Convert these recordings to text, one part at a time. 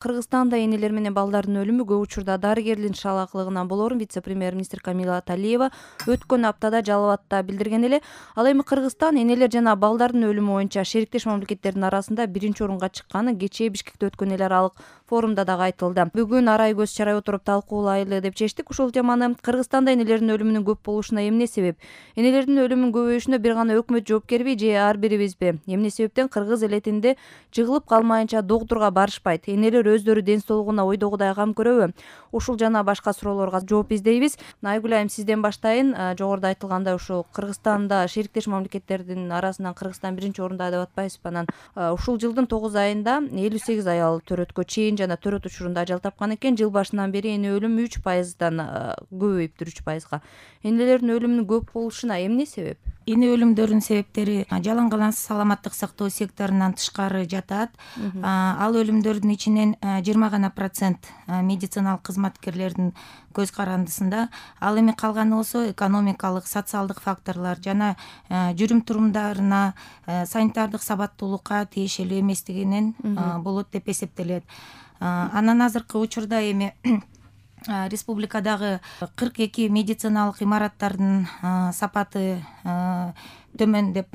Кыргызстанда энелер менен балдардын өлүмү көп учурда дарыгерлердин шалаакылыгынан болоорун вице-премьер-министр Камила Талиева өткөн аптада Жалал Абадта билдирген эле. Ал эми Кыргызстан энелер жана балдардын өлүмү боюнча шериктеш мамлекеттердин арасында биринчи орунга чыкканы кечээ Бишкекте өткөн эл аралык форумда дагы айтылды. Бүгүн арай көз чарай отуруп талкуулайлы деп чечтик ушул теманы. Кыргызстанда энелердин өлүмүнүн көп болушуна эмне себеп? Энелердин өлүмүнүн көбөйүшүнө бир гана өкмөт жоопкерби же ар бирибизби? Эмне себептен кыргыз элетинде жыгылып калмайынча доктурга барышпайт? Энелер өздөрү ден соолугуна ойдогудай кам көрөбү? Ушул жана башка суроолорго жооп издейбиз. Айгүл айым, сизден баштайын. Жогоруда айтылгандай ушул Кыргызстанда шериктеш мамлекеттердин арасынан Кыргызстан биринчи орунда деп атпайсызбы? Анан ушул жылдын 9 айында 58 аял төрөткө чейин жана төрөт учурунда ажал тапкан экен. Жыл башынан бери эне өлүмү 3%дан көбөйүптүр, 3%. Энелердин өлүмүнүн көп болушуна эмне себеп? Эне өлүмдөрүнүн себептери жалаң-калансыз саламаттык сактоо секторунан тышкары жатат. Ал өлүмдөрдүн ичинен 20% медициналык кызматкерлердин көз карандысында. Ал эми калганы болсо экономикалык, социалдык факторлор жана жүрүм турумдарына, санитардык сабаттуулукка тиешелүү эместигинен болот деп эсептелет. Анан азыркы учурда эми республикадагы 42 медициналык имараттардын сапаты төмөн деп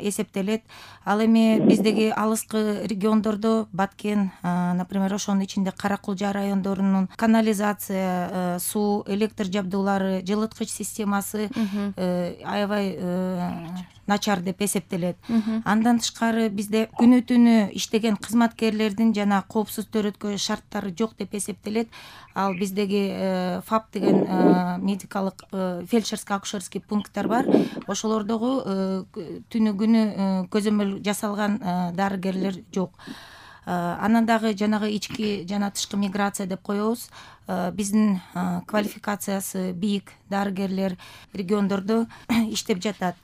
эсептелет. Ал эми биздеги алыскы региондордо Баткен, например, ошонун ичинде Кара-Кулжа райондорунун канализация, суу, электр жабдуулары, жылыткыч системасы аябай начар деп эсептелет. Андан тышкары бизде күнү түнү иштеген кызматкерлердин жана коопсуз төрөткө шарттары жок деп эсептелет. Ал биздеги ФАП деген медикалык фельдшерско-акушерский пункттар бар. Ошолордогу түнү күнү көзөмөл жасалган дарыгерлер жок. Анан дагы жанагы ички жана тышкы миграция деп коебуз. Биздин квалификациясы бийик дарыгерлер региондордо иштеп жатат.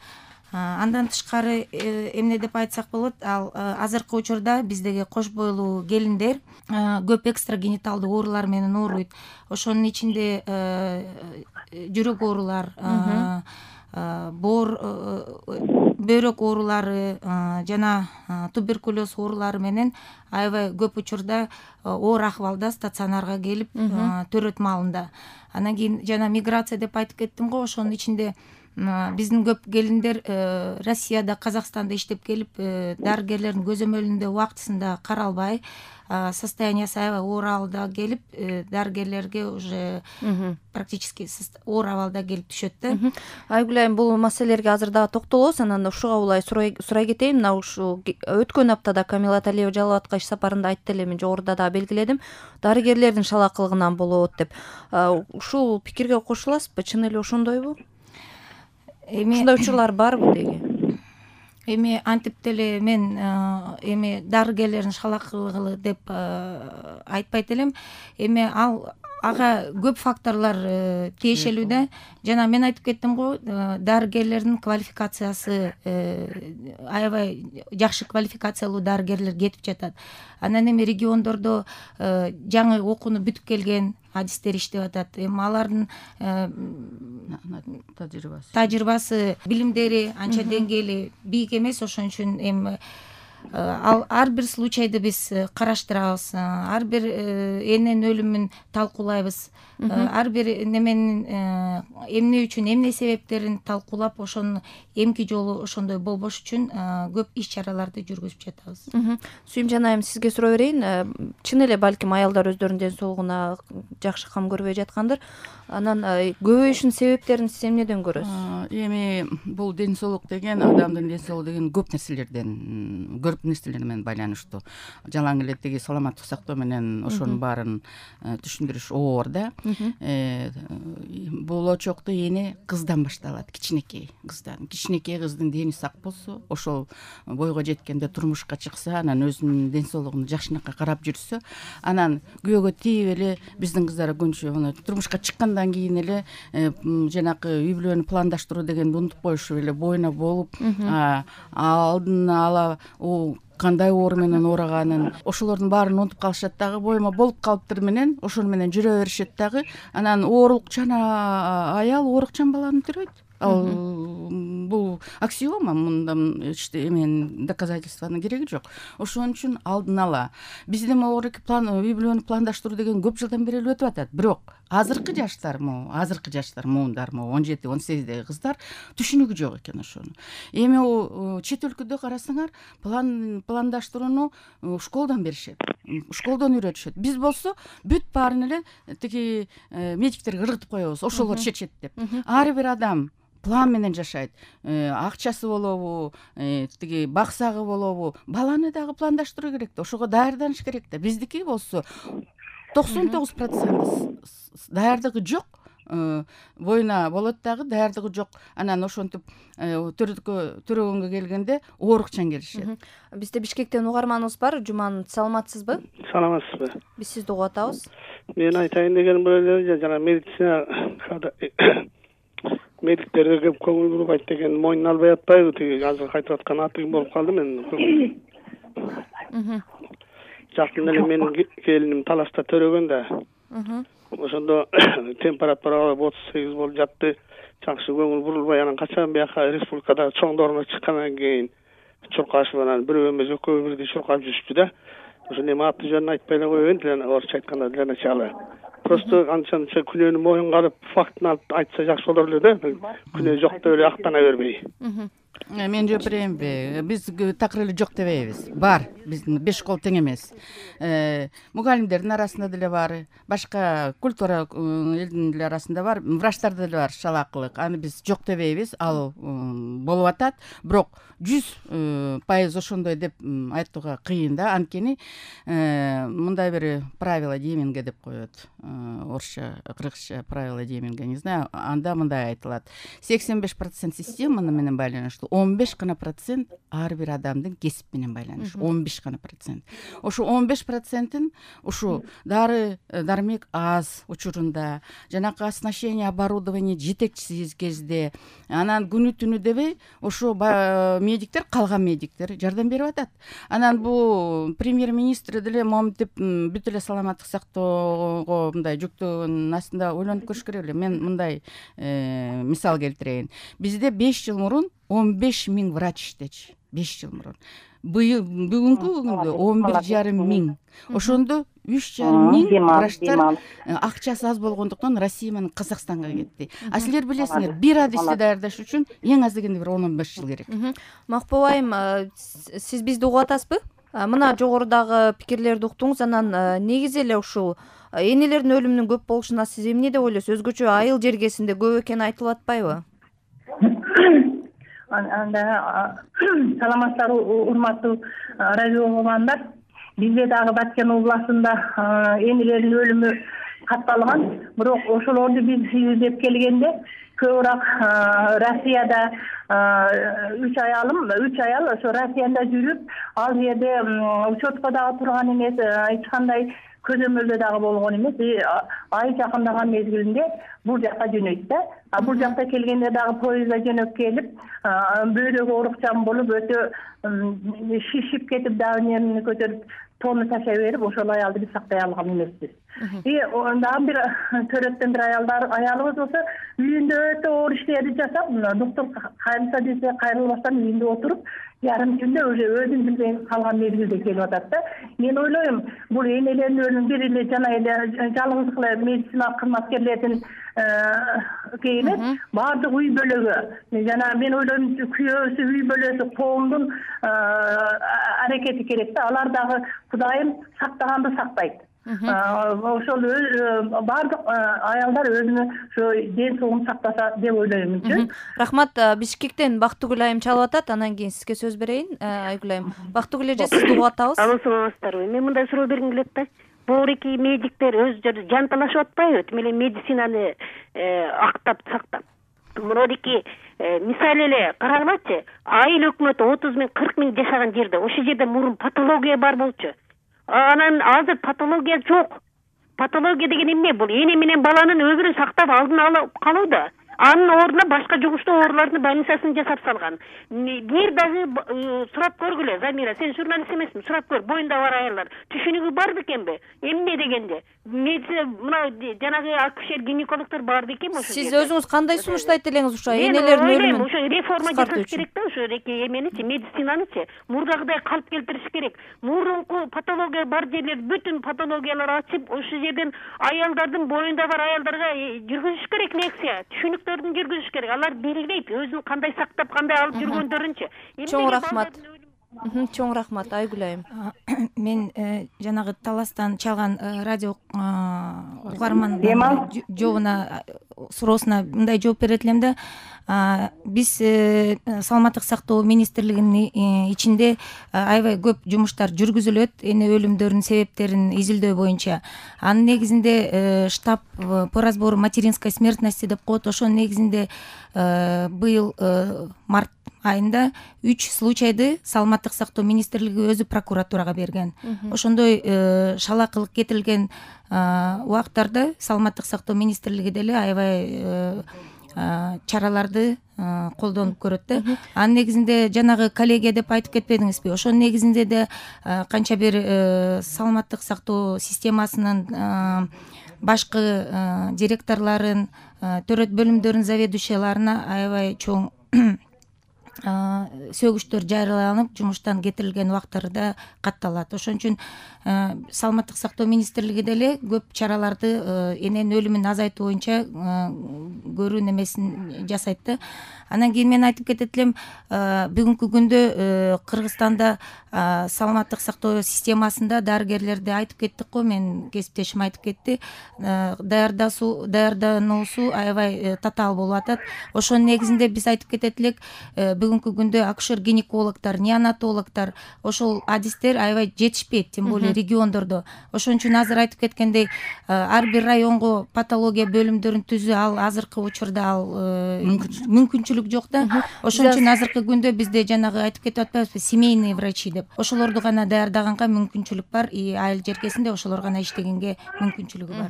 Андан тышкары эмне деп айтсак болот, ал азыркы учурда биздеги кош бойлуу келиндер көп экстрагениталдуу оорулар менен ооруйт. Ошонун ичинде жүрөк оорулар, бөйрөк оорулары жана туберкулез оорулары менен аябай көп учурда оор акыбалда стационарга келип төрөт маалында. Анан кийин жана миграция деп айтып кеттим го, ошонун ичинде биздин көп келиндер Россияда, Казакстанда иштеп келип, дарыгерлердин көзөмөлүндө убактысында каралбай, состояниясы аябай оор абалда келип, дарыгерлерге уже практически оор абалда келип түшөт да. Айгүл айым, бул маселелерге азыр дагы токтолобуз. Анан ушуга улай сурай кетейин. Мына ушул өткөн аптада Камила Талиева Жалал Абадка иш сапарында айтты эле, мен жогоруда дагы белгиледим. Дарыгерлердин шалаакылыгынан болот деп. Ушул пикирге кошуласызбы? Чын эле ошондойбу? Ушундай учурлар барбы деги? Эми антип деле мен эми дарыгерлердин шалаакылыгы деп айтпайт элем. Эми ага көп факторлор тиешелүү да. Жана мен айтып кеттим го, дарыгерлердин квалификациясы аябай жакшы квалификациялуу дарыгерлер кетип жатат. Анан эми региондордо жаңы окууну бүтүп келген адистер иштеп атат. Эми алардын тажрыйбасы, билимдери анча деңгээли бийик эмес. Ошон үчүн эми ар бир случайды биз караштырабыз, ар бир эненин өлүмүн талкуулайбыз, ар бир неменин эмне үчүн, эмне себептерин талкуулап, ошонун эмки жолу ошондой болбош үчүн көп иш чараларды жүргүзүп жатабыз. Сүйүмжан айым, сизге суроо берейин. Чын эле балким аялдар өздөрүнүн ден соолугуна жакшы кам көрбөй жаткандыр. Анан көбөйүшүнүн себептерин сиз эмнеден көрөсүз? Эми бул ден соолук деген, адамдын ден соолугу деген көп нерселер менен байланыштуу. Жалаң эле тиги саламаттык сактоо менен ошонун баарын түшүндүрүш оор да. Бул очокто эне кыздан башталат, кичинекей кыздан. Кичинекей кыздын дени сак болсо, ошол бойго жеткенде турмушка чыкса, анан өзүнүн ден соолугуна жакшынакай карап жүрсө, анан күйөөгө тийип эле биздин кыздар көбүнчө турмушка чыккандан кийин эле жанакы үй бүлөнү пландаштыруу дегенди унутуп коюшуп эле бойуна болуп, алдын ала кандай оору менен ооруганын, ошолордун баарын унутуп калышат дагы. Боюма болуп калыптыр менен ошону менен жүрө беришет дагы. Анан оорукчан аял оорукчан баланы төрөйт. Ал бул аксиома, мында эмен доказательствонун кереги жок. Ошон үчүн алдын ала бизде могу үй бүлөнү пландаштыруу деген көп жылдан бери өтүп атат. Бирок азыркы жаштар муундар 17-18деги кыздар түшүнүгү жок экен ошону. Эми чет өлкөдө карасаңар пландаштырууну школдан беришет, школдан үйрөтүшөт. Биз болсо бүт баарын эле тиги медиктерге ыргытып коебуз, ошолор чечет деп. Ар бир адам план менен жашайт. Акчасы болобу, тиги баксагы болобу, баланы дагы пландаштыруу керек да, ошого даярданыш керек да. Биздики болсо 99% даярдыгы жок. Боюна болот дагы, даярдыгы жок. Анан ошентип төрөгөнгө келгенде оорукчан келишет. Бизде Бишкектен угарманыбыз бар. Жуман, саламатсызбы? Саламатсызбы? Биз сизди угуп атабыз. Мен айтайын дегеним эле жана медицина медиктерге көп көңүл бурбайт деген мойнуна албай атпайбы? Тиги азыр кайтып аткан атыгым болуп калды мен. Жакын эле менин келиним Талашта төрөгөн да. Ошондо температура 38 болуп жатты. Жакшы көңүл бурулбай, анан качан бияка республикада чоңдоруна чыккандан кийин чуркашып, анан бирөө эмес экөө бирдей чуркап жүрүштү да. Ошондо эми аты жөнүн айтпай эле коеюн, орусча айтканда для начала. Просто канчанча күнөөнү моюнга алып, фактын алып айтса жакшы болор эле да. Күнөө жок деп эле актана бербей. Мен жооп берейинби? Биз такыр эле жок дебейбиз. Бар, биздин 5 школ тең эмес. Мугалимдердин арасында деле бар, башка культура элдин деле арасында бар, врачтарда деле бар шалаакылык. Аны биз жок дебейбиз, ал болуп атат. Бирок 100% ошондой деп айтууга кыйын да. Анткени мындай бир правила дейминге деп коет. Орусча, кыргызча правила дейминге, не знаю. Анда мындай айтылат. 85% система менен байланыштуу, 15 гана процент ар бир адамдын кесип менен байланыштуу. 15 гана процент. Ошо 15%-ин ушу дары дармек аз учурунда, жанакы оснащение оборудование жетекчисиз кезде, анан күнү түнү дебей, ошо медиктер, калган медиктер жардам берип атат. Анан бул премьер-министр деле моминтип бүт эле саламаттык сактоого мындай жүктөөнүн астында ойлонуп көрүш керек эле. Мен мындай мисал келтирейин. Бизде 5 жыл мурун 15 000 врач иштечи. 5 жыл мурун. Бүгүнкү күндө 11,5 миң. Ошондо 3,5 миң врачтар акчасы аз болгондуктан Россия менен Казакстанга кетти. А силер билесиңер, бир адисти даярдаш үчүн эң аз дегенде бир 10-15 жыл керек. Макбул айым, сиз бизди угуп атасызбы? Мына жогорудагы пикирлерди уктуңуз, анан негизи эле ушул энелердин өлүмүнүн көп болушуна сиз эмне деп ойлойсуз? Өзгөчө айыл жергесинде көп экени айтылып атпайбы? Анда саламатсыздар, урматтуу радио угармандар. Бизде дагы Баткен областында энелердин өлүмү катталган. Бирок ошолорду биз изилдеп келгенде көбүрөөк Россияда 3 аял ошо Россияда жүрүп, ал жерде учетко дагы турган эмес, эч кандай көзөмөлдө дагы болгон эмес. Ай жакындаган мезгилинде бул жакка жөнөйт да. А бул жакта келгенде дагы поездда жөнөп келип, бөйрөгү оорукчан болуп, өтө шишип кетип, дагы эмени көтөрүп, тоону ташай берип, ошол аялды биз сактай алган эмеспиз. Дагы бир төрөттөн бир аялыбыз болсо, үйүндө өтө оор иштерди жасап, доктор кайрылса десе кайрылбастан үйүндө отуруп, ярым күндө уже өзүн билбей калган мезгилде келип атат да. Мен ойлойм, бул энелердин өлүмү бир эле жана эле жалгыз эле медициналык кызматкерлердин эмес, баардык үй бөлөгү. Жана мен ойлойм, күйөөсү, үй бөлөсү, коомдун аракети керек да. Алар дагы Кудайым сактаганды сактайт. Ошол баардык аялдар өзүнүн ошо ден соолугун сактаса деп ойлойм. Рахмат. Бишкектен Бактыгүл айым чалып атат, анан кийин сизге сөз берейин. Айгүл айым, Бактыгүл эже, сизди угуп атабыз. Алло, саламатсыздарбы? Мен мындай суроо бергим келет да. Бул медиктер өздөрү жанталашып атпайбы? Тим эле медицинаны актап сактап. Мынадики мисалы эле караңлачы, айыл өкмөтү 30 000, 40 000 жашаган жерде, ошол жерде мурун патология бар болчу. Анан азыр патология жок. Патология деген эмне? Бул эне менен баланын өмүрүн сактап алдын алып калуу да. анын ордуна башка жугуштуу оорулардын больницасын жасап салган. Бир дагы сурап көргүлө, Замира, сен журналист эмесмин, сурап көр, боюнда бар аялдар түшүнүгү бар бекенби? Эмне дегенде? Мына жанагы акушер гинекологдор бар бекен ошо. Сиз өзүңүз кандай сунуштайт элеңиз ошо энелердин өлүмүн? Ошо реформа жасаш керек да, ошо эменичи, медицинанычы мурдагыдай калп келтириш керек. Мурунку патология бар жерлер бүтүн патологиялар ачып, ошол жерден аялдардын боюнда бар аялдарга жүргүзүш керек лекция, түшүнүктөрдүн жүргүзүш керек. Алар белгилейт өзүн кандай сактап, кандай алып жүргөндөрүнчү. Чоң рахмат. Чоң рахмат, Айгүл айым. Мен жанагы Таластан чалган радио угарман жообуна суроосуна мындай жооп берет элем да. Биз саламаттык сактоо министрлигинин ичинде аябай көп жумуштар жүргүзүлөт эне өлүмдөрүнүн себептерин изилдөө боюнча. Анын негизинде штаб по разбору материнской смертности деп коет. Ошонун негизинде быйыл март айында 3 случайды саламаттык сактоо министрлиги өзү прокуратурага берген. Ошондой шалакылык кетирилген убактарда саламаттык сактоо министрлиги деле аябай чараларды колдонуп көрөт да. Анын негизинде жанагы коллегия деп айтып кетпедиңизби? Ошонун негизинде де канча бир саламаттык сактоо системасынын башкы директорлорун, төрөт бөлүмдөрүнүн заведующияларына аябай чоң сөгүштөр жарыяланып, жумуштан кетирилген убактарда катталат. Ошон үчүн саламаттык сактоо министрлиги деле көп чараларды эненин өлүмүн азайтуу боюнча көрүү немесин жасайт да. Анан кийин мен айтып кетет элем, бүгүнкү күндө Кыргызстанда саламаттык сактоо системасында дарыгерлерди айтып кеттик го, мен кесиптешим айтып кетти, даярдануусу аябай татаал болуп атат. Ошонун негизинде биз айтып кетет элек, бүгүнкү күндө акушер гинекологдор, неонатологдор, ошол адистер аябай жетишпейт, тем более региондордо. Ошон үчүн азыр айтып кеткендей, ар бир районго патология бөлүмдөрүн түзүү, ал азыркы учурда ал мүмкүнчүлүк жок да. Ошон үчүн азыркы күндө бизде жанагы айтып кетип атпайбызбы, семейный врачи деп. Ошолорду гана даярдаганга мүмкүнчүлүк бар, айыл жеркесинде ошолор гана иштегенге мүмкүнчүлүгү бар.